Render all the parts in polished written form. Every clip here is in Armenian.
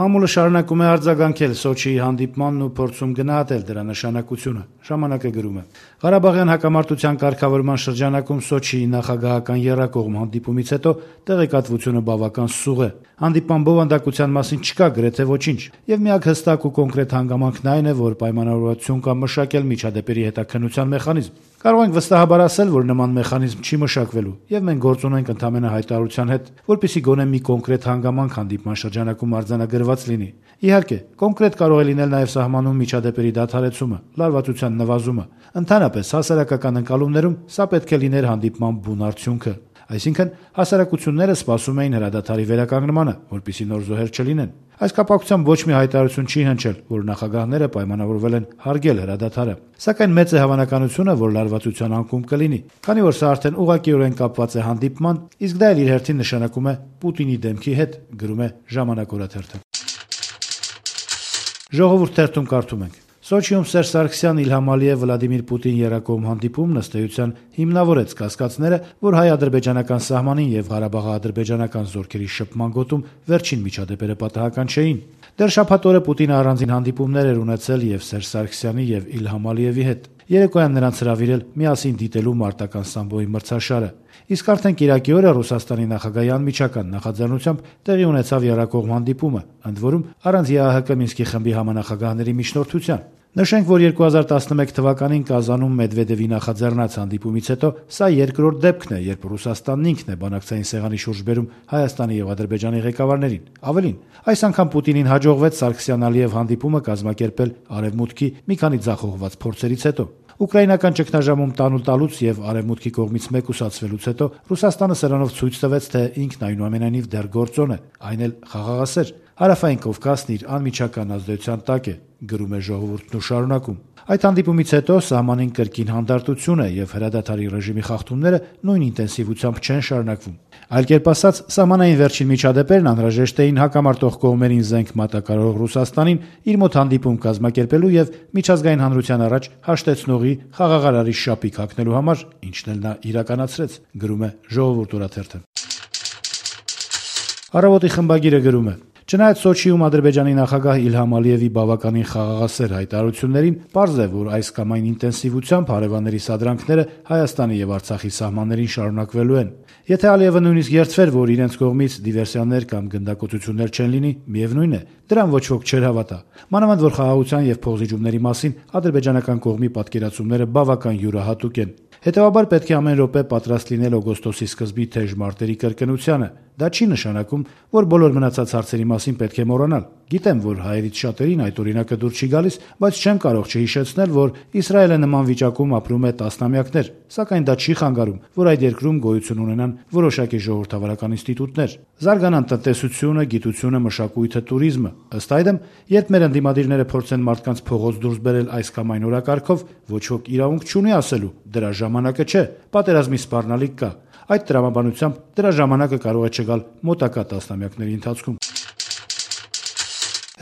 Մամուլը շարունակում է արձագանքել Սոչիի հանդիպմանն ու փորձում գնահատել դրա նշանակությունը։ Ժամանակը գրում է. Ղարաբաղյան հակամարտության կարգավորման շրջանակում Սոչիի նախագահական եռակողմ հանդիպումից հետո տեղեկատվությունը բավական սուղ է։ Հանդիպման բովանդակության մասին չկա գրեթե ոչինչ, եւ միակ հստակ ու կոնկրետ հանգամանքն այն է, որ պայմանավորվածություն կա մշակել միջադեպերի հետաքննության մեխանիզմ։ Կարող ենք վստահաբար ասել, որ նման մեխանիզմ չի մշակվելու, եւ մենք գործ ունենք ընդհանրապես հայտարարության հետ, որպեսզի գոնե մի կոնկրետ հանգամանք հանդիպման շրջանակում արձանագրված լինի։ Իհարկե, կոնկրետ կարող է լինել նաեւ սահմանում միջադեպերի դադարեցումը, լարվածության նվազումը։ Ընդհանրապես հասարակական ընկալումներում սա պետք է լիներ հանդիպման բուն արդյունքը։ Այսինքն, հասարակությունները սպասում էին հրադադարի վերականգնմանը, որպեսզի նոր զոհեր չլինեն։ Այս կապակցությամբ ոչ մի հայտարարություն չի հնչել, որ նախագահները պայմանավորվել են հարգել հրադադարը։ Սակայն մեծ է հավանականությունը, որ լարվածության անկում կլինի, քանի որ սա արդեն ուղղակիորեն կապված է հանդիպման, իսկ դա էլ իր հերթին նշանակում է Պուտինի դեմքի հետ, գրում է Ժամանակ օրաթերթը։ Ժողովուրդ թերթում կարդում ենք. Սոչիում Սերժ Սարգսյան, Իլհամ Ալիև, Վլադիմիր Պուտին երակողմ հանդիպումն ըստ էության հիմնավորեց կասկածները, որ հայ-ադրբեջանական սահմանին եւ Ղարաբաղ-ադրբեջանական զորքերի շփման գոտում վերջին միջադեպերը պատահական չէին։ Դեռ շաբաթ օրը Պուտինը առանձին հանդիպումներ էր ունեցել եւ Սերժ Սարգսյանի եւ Իլհամ Ալիևի հետ։ Երեկոյան նրանց հրավիրել միասին դիտելու մարտական սամբոյի մրցաշարը։ Իսկ արդեն կիրակի օրը Ռուսաստանի նախագահի անմիջական նախաձեռնությամբ տեղի ունեցավ եռակողմ հանդիպումը, ընդ որում առանց ԵԱՀԿ Մինսկի խմբի համանախագահների միջնորդության։ Նշենք, որ 2011 թվականին Կազանում Մեդվեդևի նախաձեռնած հանդիպումից հետո սա երկրորդ դեպքն է, երբ Ռուսաստանն ինքն է բանակցային սեղանի շուրջ բերում Հայաստանի եւ Ադրբեջանի ղեկավարներին։ Ավելին, այս անգամ Պուտինին հաջողվեց Սարգսյան-Ալիև հանդիպումը կազմակերպել Արևմուտքի մի քանի ձախողված փորձերից հետո։ Ուկրաինական ճգնաժամում տանուտալուց եւ Արևմուտքի կողմից մեկուսացվելուց հետո Ռուսաստանը սրանով ցույց տվեց, թե ինքն այնուամենայնիվ դեռ գործոն է, այն էլ խաղաղասեր։ Հարավային Կովկասն իր անմիջական ազդեցության տակ է, գրում է Ժողովուրդն ու շարունակում. Այդ հանդիպումից հետո սահմանին կրկին հանդարտություն է եւ հրադադարի ռեժիմի խախտումները նույն ինտենսիվությամբ չեն շարունակվում։ Այլ կերպ ասած, սահմանային վերջին միջադեպերն անհրաժեշտ էին հակամարտող կողմերին զենք մատակարարող Ռուսաստանին իր մոտ հանդիպում կազմակերպելու եւ միջազգային հանրության առաջ հաշտեցնողի խաղաղարարի շապիկ հագնելու համար, ինչն էլ նա իրականացրեց, գրում է Ժողովուրդ օրաթերթը։ Առավոտի խմբագիրը գրում է. Չնայած Սոչիում Ադրբեջանի նախագահ Իլհամ Ալիևի բավականին խաղաղասեր հայտարարություններին, պարզ է, որ այս կամ այն ինտենսիվությամբ հարևանների սադրանքները Հայաստանի եւ Արցախի սահմաններին շարունակվելու են։ Եթե Ալիևը նույնիսկ երդվեր, որ իրենց կողմից դիվերսիաներ կամ գնդակոծություններ չեն լինի, միևնույն է, դրան ոչ ոք չէր հավատա։ Մանավանդ որ խաղաղության եւ փոխզիջումների մասին ադրբեջանական կողմի պատկերացումները բավական յուրահատուկ են։ Հետևաբար պետք է ամեն րոպե պատրաստ լինել օգոստոսի սկզբի թեժ մարտերի կրկնությանը։ Դա չի նշանակում, որ բոլոր մնացած հարցերի մասին պետք է մոռանալ։ Գիտեմ, որ հայերից շատերին այդ օրինակը դուր չի գալիս, բայց չեմ կարող չհիշեցնել, որ Իսրայելը նման վիճակում ապրում է տասնամյակներ, սակայն դա չի խանգարում, որ այդ երկրում գոյություն ունենան որոշակի ժողովրդավարական ինստիտուտներ, զարգանան տնտեսությունը, գիտությունը, մշակույթը, туриզմը։ Ըստ այդմ, երբ մեր ընդդիմադիրները փորձեն մարդկանց փողոց դուրս բերել այս կամ այն օրակարգով, ոչ ոք իրավունք չունի ասելու՝ դրա ժամանակը չէ, պատերազմի սպառնալիք կա։ Այդ տրամաբանությամբ դրա ժամանակը կարող է չգալ մոտակա տասնամյակների ընթացքում։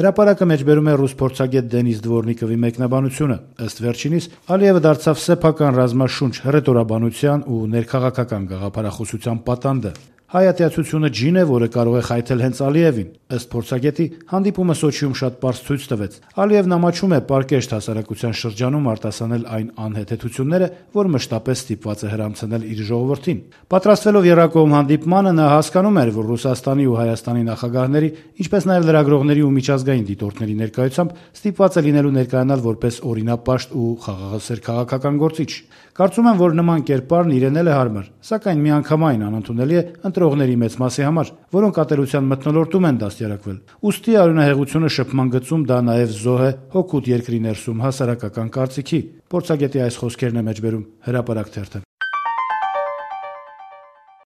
Հրապարակը մեջբերում է ռուս փորձագետ Դենիս Դվորնիկովի մեկնաբանությունը։ Ըստ վերջինիս, Ալիևը դարձավ սեփական ռազմաշունչ հռետորաբանության ու ներքաղաքական գաղափարախոսության պատանդը։ Հայատյացությունը ջին է, որը կարող է խայթել հենց Ալիևին։ Ըստ փորձագետի, հանդիպումը Սոչիում շատ պարզ ցույց տվեց։ Ալիևն ամաչում է պարկեշտ հասարակության շրջանում արտասանել այն անհեթեթությունները, որ մշտապես ստիպված է հրամցնել իր ժողովրդին։ Պատրաստվելով եռակողմ հանդիպմանը, նա հասկանում էր, որ Ռուսաստանի ու Հայաստանի նախագահների, ինչպես նաև լրագրողների ու միջազգային դիտորդների ներկայությամբ ստիպված է լինելու ներկայանալ որպես օրինապաշտ ու խաղաղասեր քաղաքական գործիչ։ Կարծում եմ, որ նման կերպարն իրեն էլ է հարմար, սակայն միանգամայն անընդունելի է ընտրողների մեծ մասի համար, որոնք ատելության մթնոլորտում են դաստիարակվել։ Ուստի արյունահեղությունը շփման գծում դա նաև զոհ է հօգուտ երկրի ներսում հասարակական կարծիքի։ Փորձագետի այս խոսքերն է մեջբերում Հրապարակ թերթը։